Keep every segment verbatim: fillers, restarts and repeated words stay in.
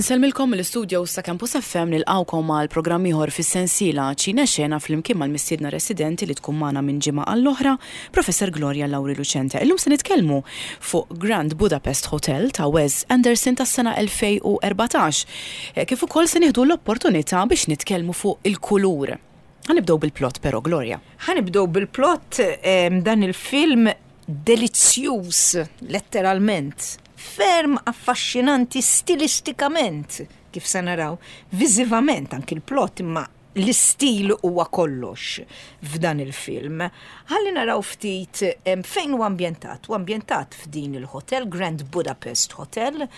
Insellmilkom mill-istudio ta' Campus F M, nilqgħukom għal programm ieħor fis-sensiela Ċine Xena flimkien mal-mistiedna residenti li tkun magħna minn ġimgħa għall-oħra, Professor Gloria Lauri Lucente. Illum se nitkellmu fuq Grand Budapest Hotel ta' Wes Anderson tas-sena elfejn u erbatax. Eh, Kif ukoll se nieħdu l-opportunità biex nitkellmu fuq il-kulur. Ħa nibdew bil-plot però, Gloria. Ħa nibdew bil-plot. em, dan il-film delizzjuż, letteralment, ferm affaxxinanti stilistikament, kif se naraw, viżivament anki l-plot, imma l-istil huwa kollox f'dan il-film. Ħalli naraw ftit em, fejn huwa ambjentat. Huwa ambjentat f'din il-hotel, Grand Budapest Hotel,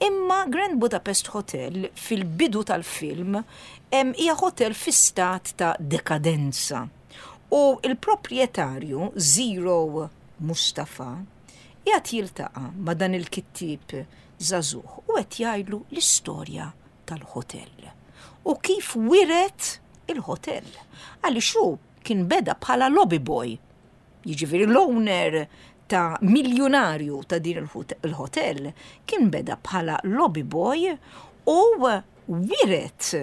imma Grand Budapest Hotel fil-bidu tal-film em, hija hotel fi stat ta' dekadenza. U il-proprjetarju Zero Mustafa qiegħed jiltaqa' ma' dan il-kittieb żagħżugħ u qed jgħidlu l-istorja tal-hotel. U kif wiret il-hotel. Għaliex hu kien beda bħala lobby boy. Jiġifieri l-owner ta' miljonarju ta' din il-hotel kien beda bħala lobby boy u wiret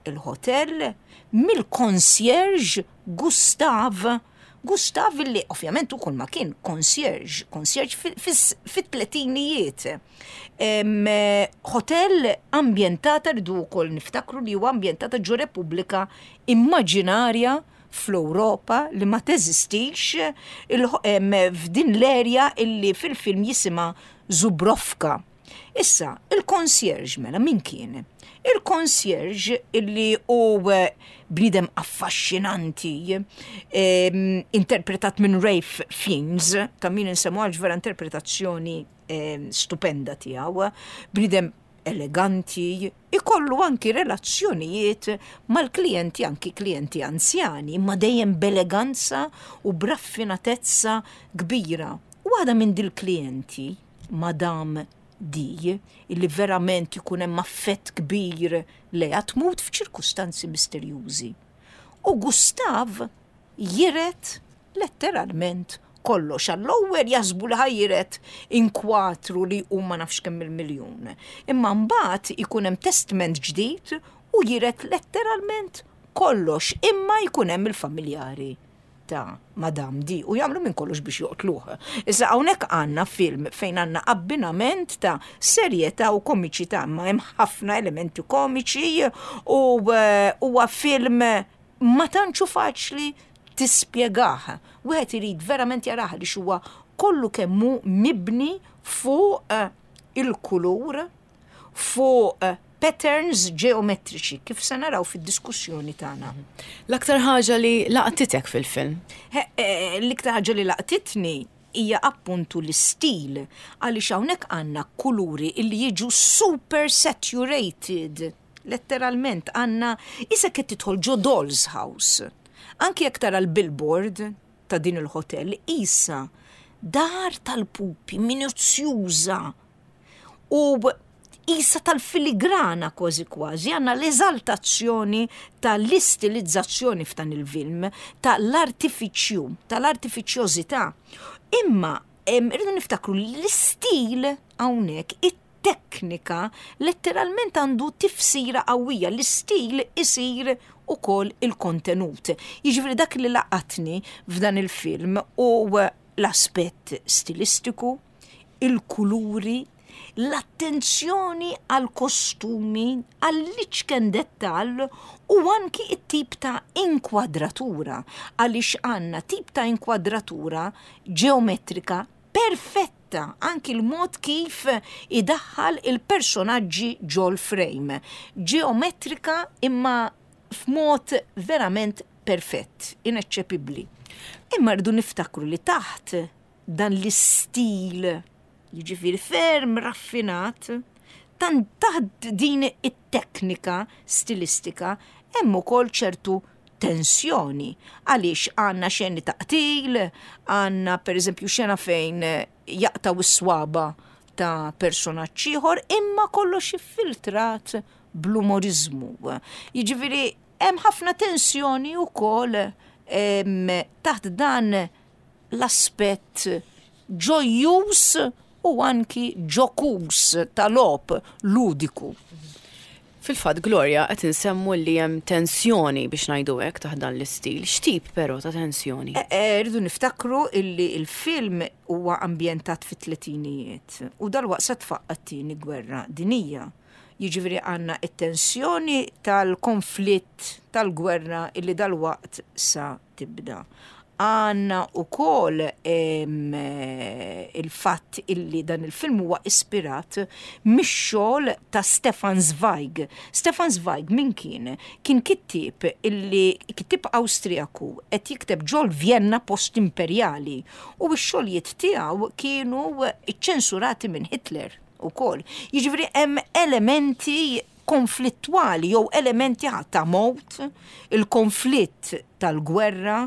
il-hotel mill-concierge Gustav. Gustav li ovvjament ukoll ma kien concierge, concierge fit-tletinijiet. Hotel ambjentata, rridu wkoll niftakru li huwa ambjentata ġo Repubblika immaġinarja fl-Ewropa li ma teżistix, f'din l-erja illi fil-film jisimha Zubrowka. Issa, il-concierge mela min kien? Il-concierge illi hu bniedem affaxxinanti, interpretat minn Ralph Fiennes, ta' min insemmu għax vera interpretazzjoni stupenda tiegħu, bniedem eleganti, ikollu anki relazzjonijiet mal-klijenti, anki klijenti anzjani, imma dejjem b'eleganza u b'raffinatezza kbira. U waħda minn dil-klijenti, Madame D, illi verament ikun hemm affett kbir lejha, tmut f'ċirkustanzi misterjużi. U Gustav jiret letteralment kollox. Għall-ewwel jaħsbu li ħa jiret inkwatru li huma nafx kemm il-miljun. Imma mbagħad ikun hemm testment ġdid u jiret letteralment kollox, imma jkun hemm il-familjari ta' Madame D u jagħmlu minn kollox biex joqtluh. Issa hawnhekk għandna film fejn għandna abbinament ta' serjetà u komiċità, ma hemm ħafna elementi komiċi u huwa film ma tantx faċli tispjegah. Wieħed irid verament jarah li huwa kollu kemm hu mibni fuq il-kulur, fuq patterns ġeometriċi, kif se naraw fid-diskussjoni tagħna. L-aktar ħaġa li laqtitek fil-film? L-iktar ħaġa li laqtitni hija appuntu l-istil, għaliex hawnhekk għandna kuluri illi jiġu super saturated. Letteralment għandna issa qed tidħol ġo Doll's House. Anki jekk tara l-billboard ta' din il-hotel, isa dar tal-pupi minuzzjuża u isa tal-filigrana kważi kważi, għandna l-eżaltazzjoni tal-istilizzazzjoni f'dan il-film, tal-artifiċju, tal-artifiċjożità. Imma rridu niftakru l-istil hawnhekk, it-teknika letteralment għandu tifsira qawwija, l-istil isir ukoll il-kontenut. Jiġifieri dak li laqatni f'dan il-film u l-aspett stilistiku, il-kuluri, l-attenzjoni għal kostumi, għall-iċken dettal u anki it-tip ta' inkwadratura, għaliex għandna tip ta' inkwadratura ġeometrika perfetta, anki l-mod kif idaħħal il-personaġġi ġol frame. Ġeometrika imma f'mod verament perfett, ineċċepibbli. Imma rridu niftakru li taħt dan l-istil, jiġifieri ferm raffinat, tan taħt din it-teknika stilistika hemm ukoll ċertu tensjoni, għaliex għandna xeni ta' qtil, għandna per eżempju xena fejn jaqtaw is-swaba ta' personaġġ ieħor, imma kollox iffiltrat bl-umorizmu. Jiġifieri hemm ħafna tensjoni wkoll taħt dan l-aspett ġojjuż u anki ġokuż tal-logħob ludiku. Fil-fatt, Gloria, qed insemmu li hemm tensjoni, biex ngħidu hekk, taħt dan l-istil. X'tip però ta' tensjoni? E, e, rridu niftakru illi il-film huwa ambjentat fit-tletinijiet u dal-waqt se tfaqqa t-tieni gwerra dinija. Jiġifieri għandna it-tensjoni tal-konflitt tal-gwerra illi dal-waqt sa tibda. Għandna ukoll il-fatt illi dan il-film huwa ispirat mix-xogħol ta' Stefan Zweig. Stefan Zweig min kien? Kien kittieb illi kittieb Awstrijaku qed jikteb ġol Vienna post-imperjali u x-xogħlijiet tiegħu kienu ċċensurati minn Hitler ukoll. Jiġifieri hemm elementi konflittwali jew elementi ta' mowt, il-konflitt tal-gwerra,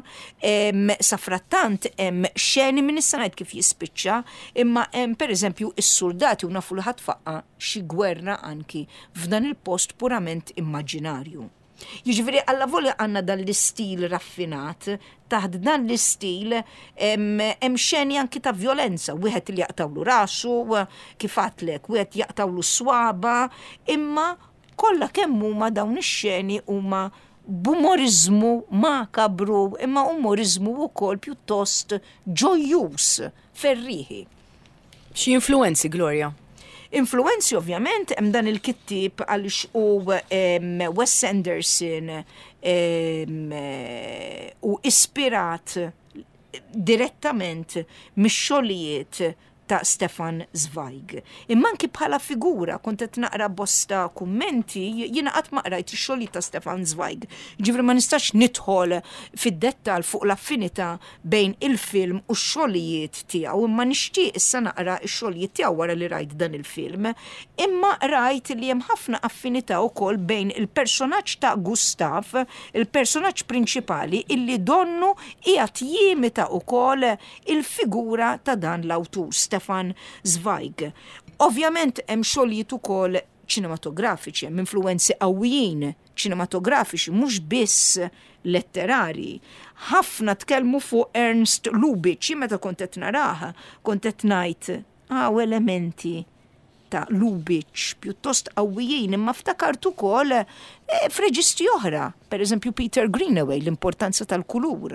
safrattant hemm xeni minn issa ngħid kif jispiċċa, imma hemm pereżempju is-soldati u nafu li ħa tfaqqa' xi gwerra anki f'dan il-post purament immaġinarju. Jiġifieri allavolja għandna dan l-istil raffinat, taħt dan l-istil hemm xeni anki ta' violenza, wieħed li jaqtawlu rasu, kif għedtlek, wieħed jaqtawlu swaba, imma kollha kemm huma dawn ix-xeni huma b'umorizmu makabru, imma umorizmu wkoll pjuttost ġojjus, ferriħi. Xi influenzi, Gloria? Influenzi, ovvjament hemm dan il-kittieb għaliex u Wes Anderson u ispirat direttament mix-xogħlijiet ta' Stefan Zweig. Imma anki bħala figura, kont qed naqra bosta kummenti, jiena qatt ma qrajt ix-xogħlijiet ta' Stefan Zweig. Ġifieri ma nistax nidħol fid-dettal fuq l-affinità bejn il-film u x-xogħlijiet tiegħu, imma nixtieq issa naqra x-xogħlijiet tiegħu wara li rajt dan il-film. Imma rajt li hemm ħafna affinità wkoll bejn il-personaġġ ta' Gustav, il-personaġġ prinċipali, illi donnu qiegħed jimita wkoll il-figura ta' dan l-awtur, Stefan Zweig. Ovvjament hemm xogħlijiet ukoll ċinematografiċi, hemm influenzi qawwijin ċinematografiċi, mhux biss letterari. Ħafna tkellmu fuq Ernst Lubitsch, jien meta kont qed naraha, kont qed ngħid hawn elementi ta' Lubitsch pjuttost qawwijin, imma ftakart ukoll eh, f'reġisti oħra, per eżempju Peter Greenaway, l-importanza tal-kulur.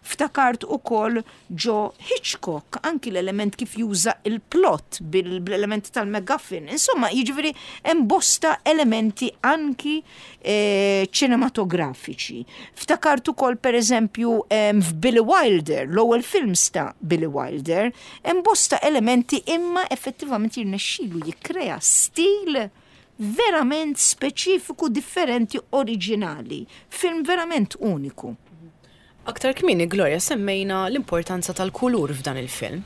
Ftakart ukoll ġo Hitchcock, anki l-element kif juża il-plot bil-element tal-MacGuffin. Insomma, jiġifieri hemm bosta elementi anki eh, ċinematografiċi. Ftakart ukoll per eżempju f'Billy Wilder, l-ewwel films ta' Billy Wilder, hemm bosta elementi, imma effettivament jirnexxilu jikkrea stil verament speċifiku, differenti, oriġinali. Film verament uniku. Aktar kmieni, Gloria, semmejna l-importanza tal-kulur f'dan il-film.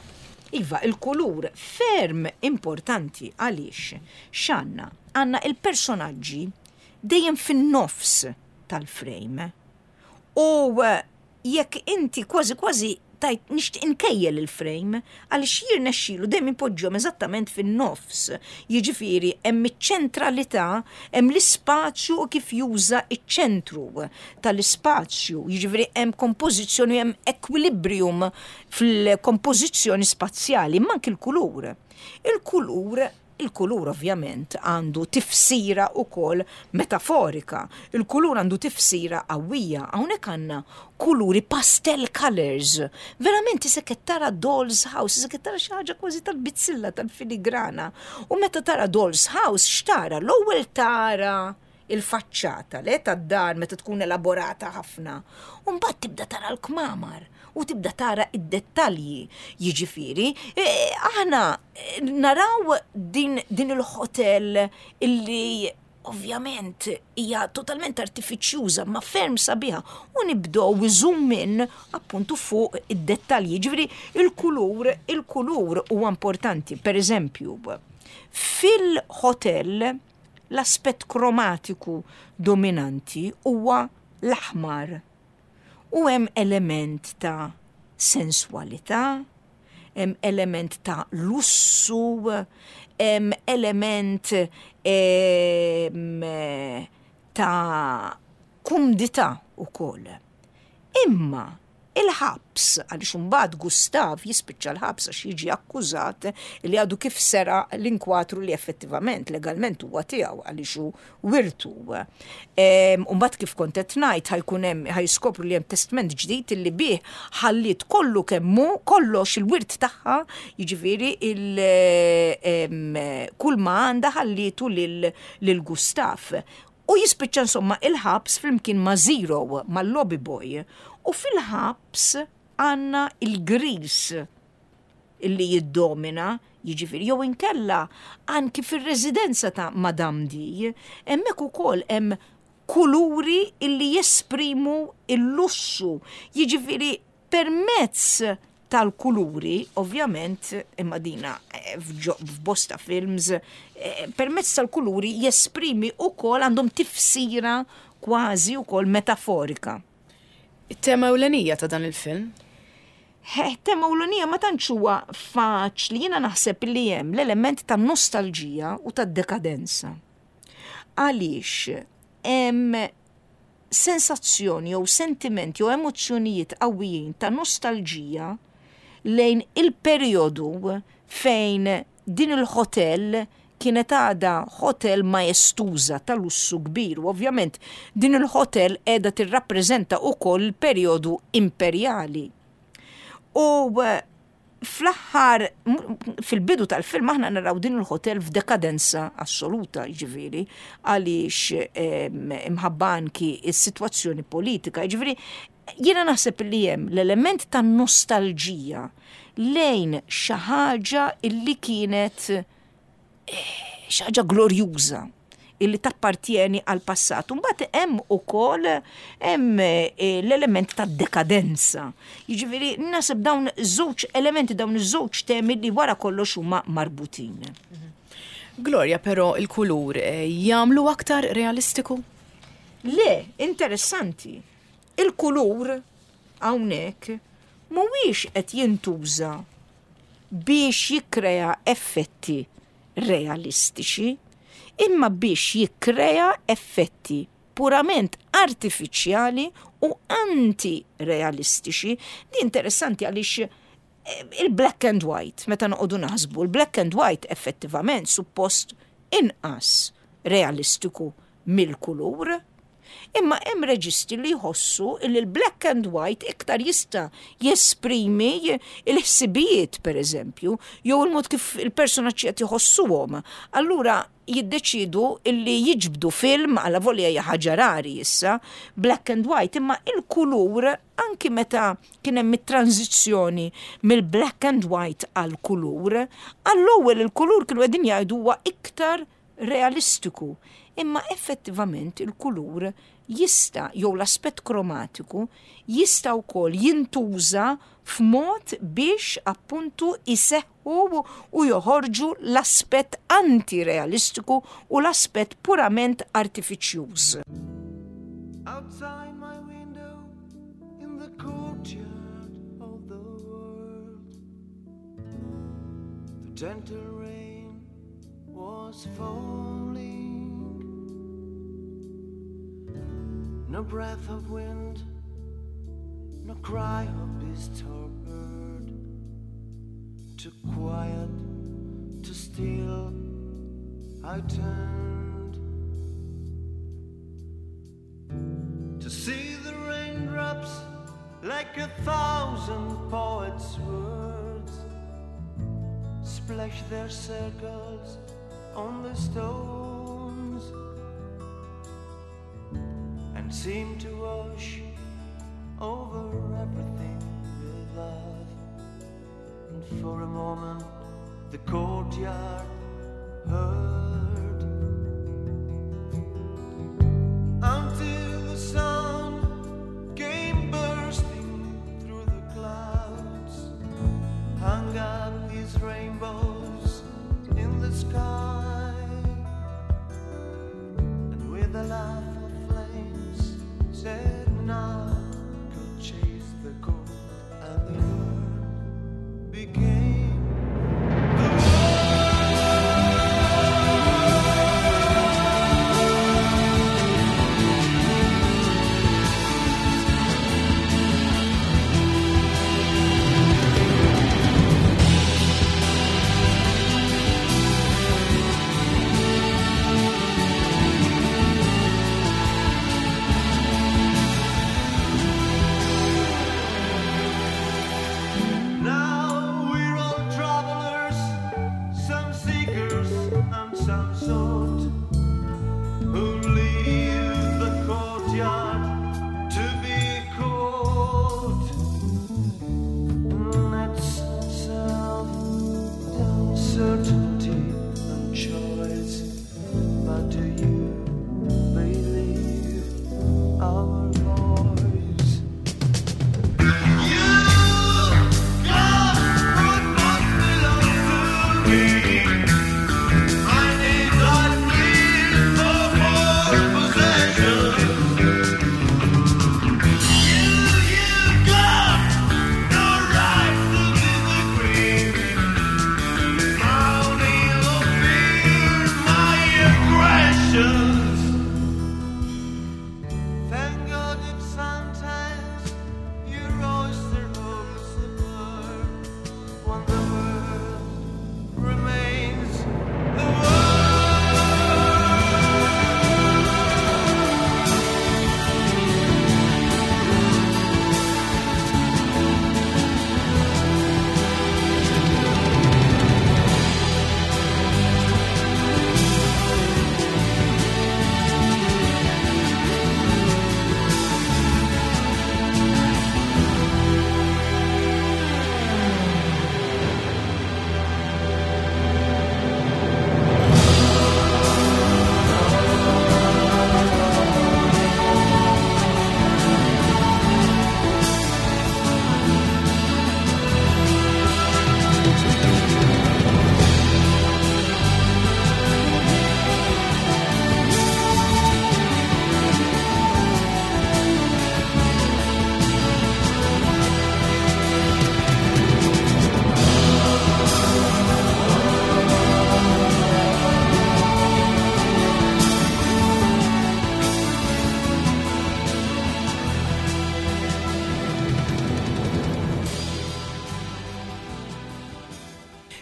Iva, il-kulur ferm importanti għaliex x'għandna? Għandna il-personaġġi dejjem fin-nofs tal-frame. U jekk inti kważi kważi tajt nixtieq inkejjel il-frame għaliex jirnexxilu dejjem ipoġġihom eżattament fin-nofs. Jiġifieri hemm iċ-ċentralità, hemm l-ispazju u kif juża iċ-ċentru tal-ispazju. Jiġifieri hemm kompożizzjoni, hemm equilibrium fil-kompożizzjoni spazjali, imma anki l-kulur. Il-kulur Il-kulur ovvjament għandu tifsira ukoll metaforika. Il-kulur għandu tifsira qawwija. Hawnhekk għandna kuluri pastel colors. Verament isek qed tara Doll's House, isek qed tara xi ħaġa kważi tal-bizzilla, tal-filigrana. U meta tara Doll's House, x'tara? L-ewwel tara il-faċċata, le, tad-dar meta tkun elaborata ħafna. U mbagħad tibda tara l-kmamar u tibda tara id-dettalji. Jiġifieri, e, aħna naraw din, din il-hotel illi ovvjament hija totalment artifiċjuża ma ferm sabiħa u nibdew zoom in appuntu fuq id-dettalji. Ġifieri il-kulur, il-kulur huwa importanti. Per eżempju, fil-hotel l-aspett kromatiku dominanti huwa l-aħmar. U hemm element ta' sensualità, hemm element ta' lussu, hemm element em, ta' kumdità ukoll. Imma Il-ħabs, għaliex imbagħad Gustav jispiċċa l-ħabs għax jiġi akkużat li għadu kif seraq l-inkwatru li effettivament legalment huwa tiegħu għaliex hu wirtu. Imbagħad, kif kont qed ngħid, ħa jkun hemm, ħa jiskopru li hemm testment ġdid li bih ħallit kollu kemm hu, kollox il-wirt tagħha, jiġifieri kull ma għandha ħallitu lil Gustav. U jispiċċa insomma il-ħabs flimkien ma' Zero, ma' lobby boy. U fil-ħabs għandna il-gris illi jiddomina, jiġifieri, jew inkella anki fir-residenza ta' Madame D, hemmhekk ukoll hemm kuluri illi jesprimu il-lussu. Jiġifieri permezz tal-kuluri, ovvjament, imma dina eh, f'bosta films, eh, permezz tal-kuluri jesprimi ukoll, għandhom tifsira kważi ukoll metaforika. It-tema ewlenija ta' dan il-film? Tema ewlenija ma tantx huwa faċli, jiena naħseb li hemm l-element ta' nostalġija u ta' dekadenza. Għaliex hemm sensazzjoni jew sentimenti jew emozzjonijiet qawwijin ta' nostalġija lejn il-perjodu fejn din il-hotel kienet għada hotel maestuża ta' lussu kbir u ovvjament din il-hotel qiegħda tirrappreżenta ukoll il-perjodu imperjali. U eh, fl-aħħar, fil-bidu tal-film aħna naraw din il-hotel f'dekadenza assoluta, ġifieri, għaliex imħabba anki is-sitwazzjoni politika, ġifieri, jiena naħseb li hemm l-element ta' nostalġija lejn xi ħaġa illi kienet eh, xi ħaġa glorjuża illi tappartieni għal passat. Mbagħad hemm ukoll hemm eh, l-element ta' dekadenza. Jiġifieri naħseb dawn żewġ elementi, dawn iż-żewġ temi li wara kollox huma marbutin. Gloria, però il-kulur eh, jagħmlu aktar realistiku? Le, interessanti. Il-kulur hawnhekk mhuwiex qed jintuża biex jikkrea effetti realistiċi, imma biex jikkrea effetti purament artifiċjali u anti-realistiċi. Di interessanti għaliex eh, il-black and white, meta noqogħdu naħsbu, il-black and white effettivament suppost inqas realistiku mill-kulur. Imma hemm reġisti li jħossu li l-black and white iktar jista' jesprimi il-ħsibijiet, per eżempju, jew il-mod kif il-personaġġi qed jħossuhom. Allura jiddeċidu illi jiġbdu film, għala volja hija ħaġa rari issa, black and white, imma il-kulur anki meta kien hemm it-tranzizzjoni mill-black and white għal kulur, għall-ewwel il-kulur kienu qegħdin jgħidu huwa iktar realistiku. Imma effettivament il-kulur jista', jew l-aspett kromatiku jista' wkoll jintuża f'mod biex appuntu iseħħu u joħorġu l-aspett antirealistiku u l-aspett purament artifiċjuż. Outside my window in the courtyard of the world, the gentle rain was falling. No breath of wind, no cry of beast or bird. Too quiet, too still, I turned to see the raindrops like a thousand poets' words splash their circles on the stones and seem to wash over everything with love. And for a moment, the courtyard heard until the sun came bursting through the clouds, hung up his rainbows in the sky, and with a laugh of flames said, "Now could chase the cold," and the word became the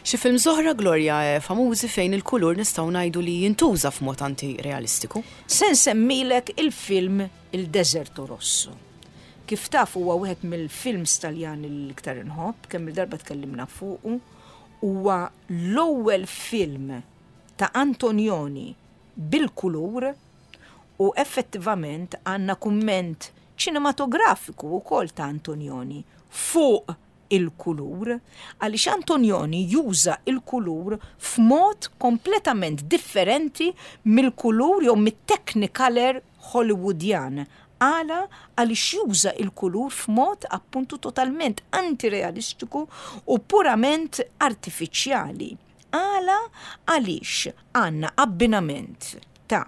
Xi films oħra, Gloria, eh, famużi fejn il-kulur nistgħu ngħidu li jintuża f'mod anti-realistiku. Se nsemmilek il-film Il Deserto Rosso. Kif taf, huwa wieħed mill-films Taljani l-iktar inħobb, kemm il-darba tkellimna fuqu, huwa l-ewwel film ta' Antonioni bil-kulur u effettivament għandna kumment ċinematografiku wkoll ta' Antonioni fuq il-kulur, għaliex Antonioni juża il-kulur f'mod kompletament differenti mill-kulur jew mit-Technicolor Hollywoodjan. Għala? Għaliex juża il-kulur f'mod appuntu totalment antirealistiku u purament artifiċjali. Għala? Għaliex għandna abbinament ta'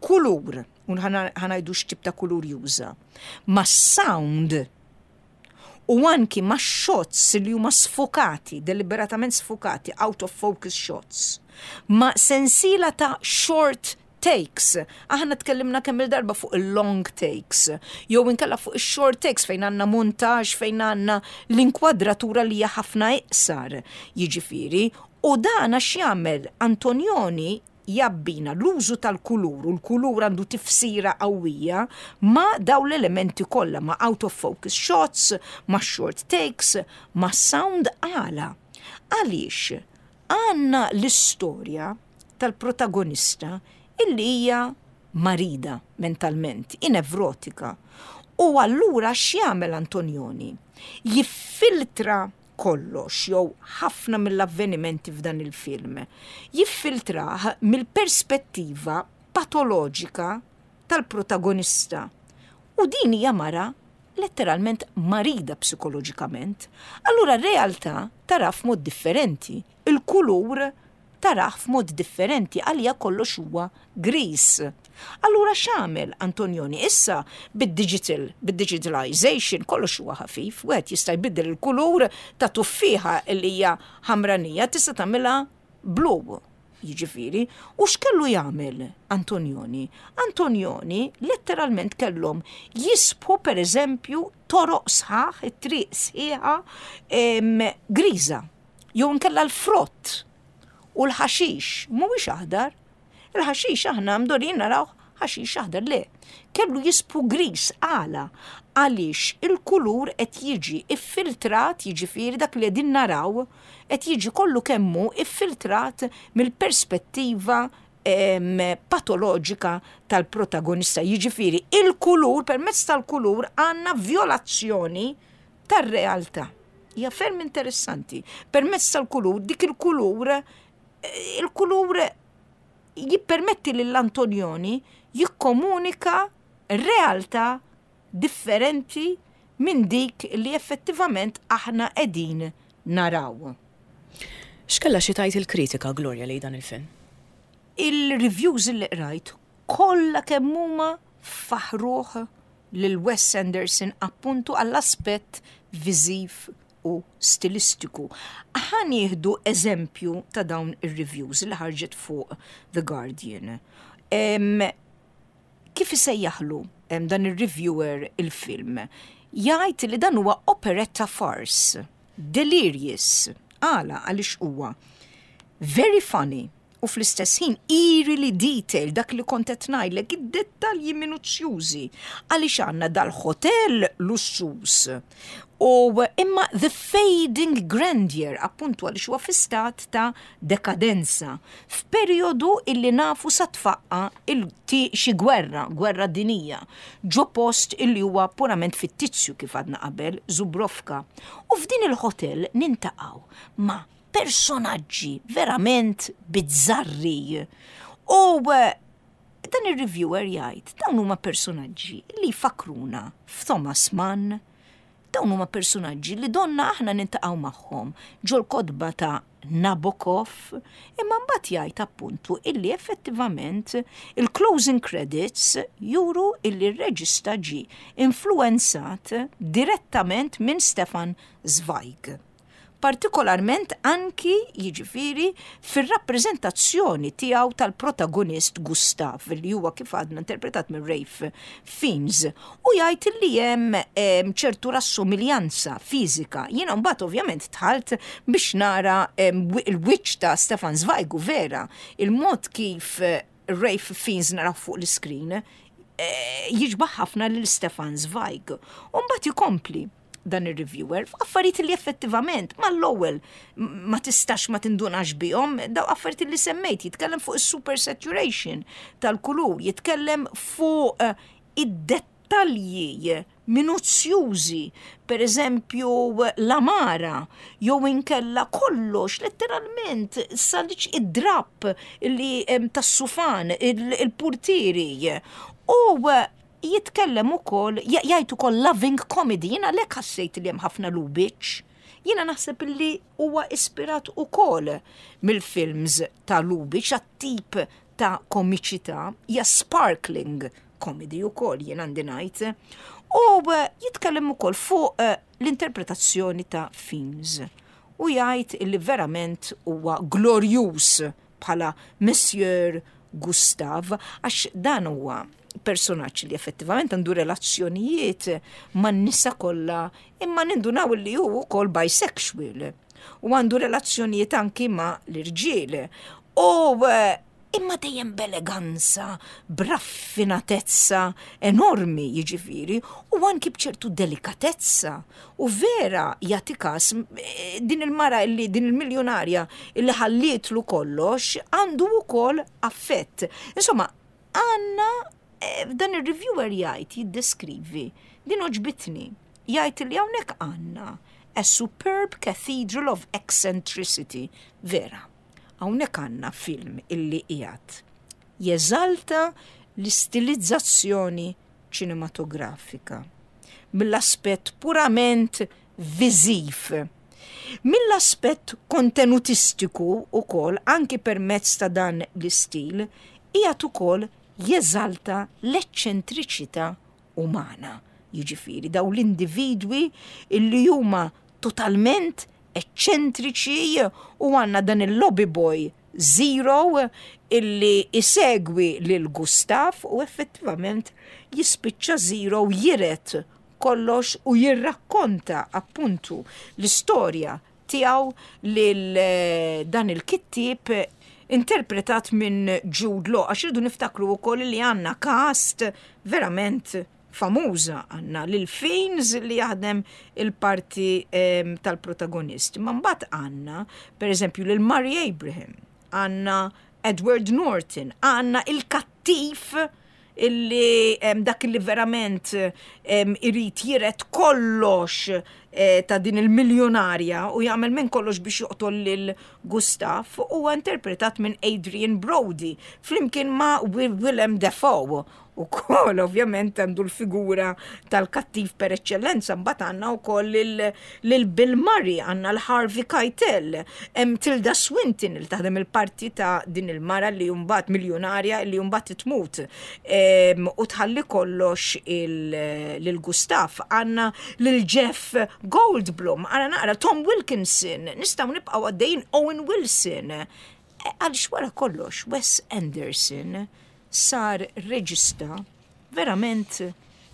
kulur, un ħa ngħidu x'tip ta' kulur juża, ma' sound u anki ma' shots li huma sfokati, deliberatament sfokati, out of focus shots, ma' sensiela ta' short takes. Aħna tkellimna kemm il-darba fuq il-long takes, jew inkella fuq il-short takes fejn għandna montage, fejn għandna l-inkwadratura li hija ħafna iqsar. Jiġifieri, u dan għax jagħmel Antonioni jabbina l-użu tal-kulur, u l-kulur għandu tifsira qawwija ma' daw l-elementi kollha, ma' out of focus shots, ma' short takes, ma' sound. Għala? Għaliex għandna l-istorja tal-protagonista illi hija marida mentalment, nevrotika. U allura x'jagħmel Antonioni? Jiffiltra kollox jew ħafna mill-avvenimenti f'dan il-film. Jiffiltrah mill-perspettiva patoloġika tal-protagonista. U din hija mara letteralment marida psikoloġikament. Allura r-realtà tara f'mod differenti. Il-kulur tarah f'mod differenti, għalija kollox huwa gris. Allura x'għamel Antonioni? Issa bid-digital, bid-digitalization kollox huwa ħafif, wieħed jista' jbiddel il-kulur ta' tuffieħa li hija ħamranija, tista' tagħmilha blu. Jiġifieri, u x'kellu jagħmel Antonioni? Antonioni letteralment kellhom jiżbgħu, per eżempju, toroq sħaħ, it-triq sħiħa griża, jew nkella l-frott u l-ħaxix mhuwiex aħdar. Il-ħaxix aħna mdorrijin naraw ħaxix aħdar, le. Kellu jiżbgħu gris. Għala? Għaliex il-kulur qed jiġi iffiltrat, jiġifieri dak li qegħdin naraw qed jiġi kollu kemmu iffiltrat mill-perspettiva patoloġika tal-protagonista. Jiġifieri il-kulur, permezz tal-kulur għandna violazzjoni tar-realtà. Hija ferm interessanti. Permezz tal-kulur, dik il-kulur il-kulur jippermetti lill-Antonioni jikkomunika realtà differenti minn dik li effettivament aħna qegħdin naraw. X'kella xi tgħid il-kritika, Gloria, li dan il-film? Il-reviews li qrajt kollha kemm huma faħruh lil Wes Anderson appuntu għall-aspett viżiv u stilistiku. Ħa nieħdu eżempju ta' dawn ir-reviews li ħarġet fuq The Guardian. Em, kif isejjaħlu dan ir-reviewer il-film? Jgħid li dan huwa operetta farce, delirious. Għala? Għaliex huwa very funny u fl-istess ħin eerily detailed, dak li kont qed ngħidlek, id-dettalji minuzzjużi, għaliex għandna dal-hotel lussuż u imma the fading grandeur, appuntu għaliex huwa fi stat ta' dekadenza f'perjodu illi nafu sa tfaqqa xi gwerra, gwerra dinija, ġo post illi huwa purament fittizju, kif għadna qabel, Zubrowka. U f'din il-hotel niltaqgħu ma' personaġġi verament bizzarri. U eh, dan il-reviewer jgħid, dawn huma personaġġi li jfakkruna f'Thomas Mann, dawn huma personaġġi li donna aħna niltaqgħu magħhom ġol-kotba ta' Nabokov, imma mbagħad jgħid appuntu illi effettivament il-closing credits juru illi r-reġista ġi influenzat direttament minn Stefan Zweig. Partikolarment anki, jiġifieri, fir-rappreżentazzjoni tiegħu tal-protagonist Gustav, li huwa, kif għadna, interpretat minn Ralph Fiennes, u jgħid li hemm ċertu rassomiljanza fiżika. Jiena mbagħad ovvjament dħalt biex nara il-wiċċ ta' Stefan Zweig, u vera, il-mod kif eh, Ralph Fiennes naraw fuq l-screen eh, jixbaħ ħafna lil Stefan Zweig. U mbagħad ikompli dan ir-reviewer f'affarijiet li effettivament mal-ewwel ma tistax ma tindunax bihom, daw affarijiet li semmejt: jitkellem fuq is-super saturation tal-kulur, jitkellem fuq eh, id-dettalji minuzzjużi, per eżempju l-għamara, jew inkella kollox, letteralment, saliċ id-drap li tas-sufan, il-purtieri. U eh, jitkellem ukoll, jgħid ukoll loving comedy. Jiena lek ħassejt li hemm ħafna Lubitsch. Jiena naħseb li huwa ispirat ukoll mill-films ta' Lubitsch għat-tip ta' komiċità, hija sparkling comedy ukoll, jien għandi ngħid. U eh, jitkellem ukoll fuq eh, l-interpretazzjoni ta' Fiennes. U jgħid li verament huwa glorjus bħala Monsieur Gustav, għax dan huwa personaġġ li effettivament għandu relazzjonijiet man nisa kollha, imma nindunaw li hu wkoll bisexual u għandu relazzjonijiet anki ma' l-irġiel. U eh, imma dejjem b'eleganza, b'raffinatezza enormi, jiġifieri, u anki b'ċertu delikatezza. U vera jagħti kas eh, din il-mara illi din il-miljonarja illi ħallietlu kollox, għandu wkoll affett. Insomma, għandna eh, dan il-reviewer jgħid, jiddeskrivi, din għoġbitni, jgħid li hawnhekk għandna a superb cathedral of eccentricity, vera. Hawnhekk għandna film illi qiegħed jeżalta l-istilizzazzjoni ċinematografika mill-aspett purament viżiv. Mill-aspett kontenutistiku ukoll, anki permezz ta' dan l-istil, qiegħed ukoll jeżalta l-eċċentriċità umana. Jiġifieri daw l-individwi illi huma totalment eċċentriċi, u għandna dan il-lobby boy Zero illi isegwi lil Gustav, u effettivament jispiċċa Zero jiret kollox u jirrakkonta appuntu l-istorja tiegħu lil eh, dan il-kittib interpretat minn Jude Law, għax irridu niftakru wkoll li għandna cast verament famuża: għandna lil Fiennes li jaħdem il-parti em, tal-protagonist. Ma mbagħad għandna, per eżempju, lil Murray Abraham, għandna Edward Norton, għandna il-kattiv illi em, dak illi verament em, irid jiret kollox eh, ta' din il-miljonarja u jagħmel minn kollox biex joqtol lil Gustav, huwa interpretat minn Adrian Brody flimkien ma' Willem Dafoe. U kol, ovvjament, għandu l-figura tal-kattiv per eccellenza. Mbagħad għandna wkoll lil Bill Murray, għandna l-Harvey Keitel, hemm Tilda Swinton li taħdem il-parti ta' din il-mara li mbagħad miljonarja li mbagħad tmut em, u tħalli kollox lil Gustav. Għandna lil Jeff Goldblum, għandna naqra Tom Wilkinson, nistgħu nibqgħu għaddejjin, Owen Wilson. E, Għaliex wara kollox, Wes Anderson sar reġista verament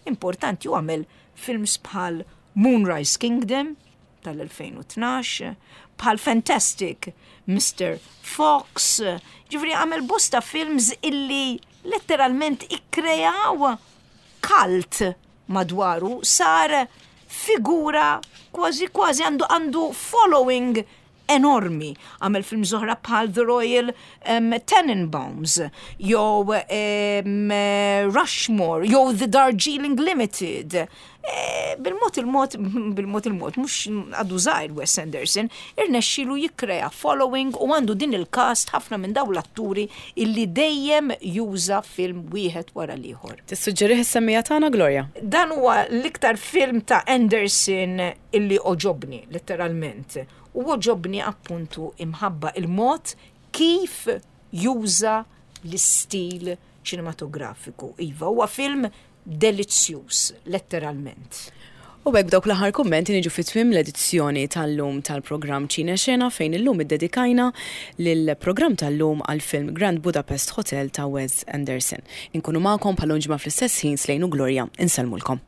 importanti u għamel films bħal Moonrise Kingdom tal-elfejn u tnax, bħal Fantastic Mister Fox, ġifieri għamel bosta films illi letteralment ikkrejaw cult madwaru, sar figura kważi kważi għandu għandu following enormi. Għamel film oħra bħal The Royal um, Tenenbaums, jew um, Rushmore, jew The Darjeeling Limited. E, bil-mod il-mod, bil-mod il-mod, mhux għadu żgħir Wes Anderson, irnexxilu jikkrea following u għandu din il-cast, ħafna minn daw l-atturi illi dejjem juża film wieħed wara l-ieħor. Tissuġġerih is-semmiegħa tagħna, Gloria? Dan huwa l-iktar film ta' Anderson illi għoġobni, letteralment. U għoġobni appuntu imħabba il-mod kif juża l-istil ċinematografiku. Iva, huwa film delizzjuż, letteralment. U hekk dawk l-aħħar kummenti niġu fi tmiem l-edizzjoni tal-lum tal-programm Ċine Xena, fejn illum iddedikajna lill-programm tal-lum għal-film Grand Budapest Hotel ta' Wes Anderson. Inkunu magħkom bħal ġimgħa fl-istess ħin. Slejnu Gloria, insellmulkom.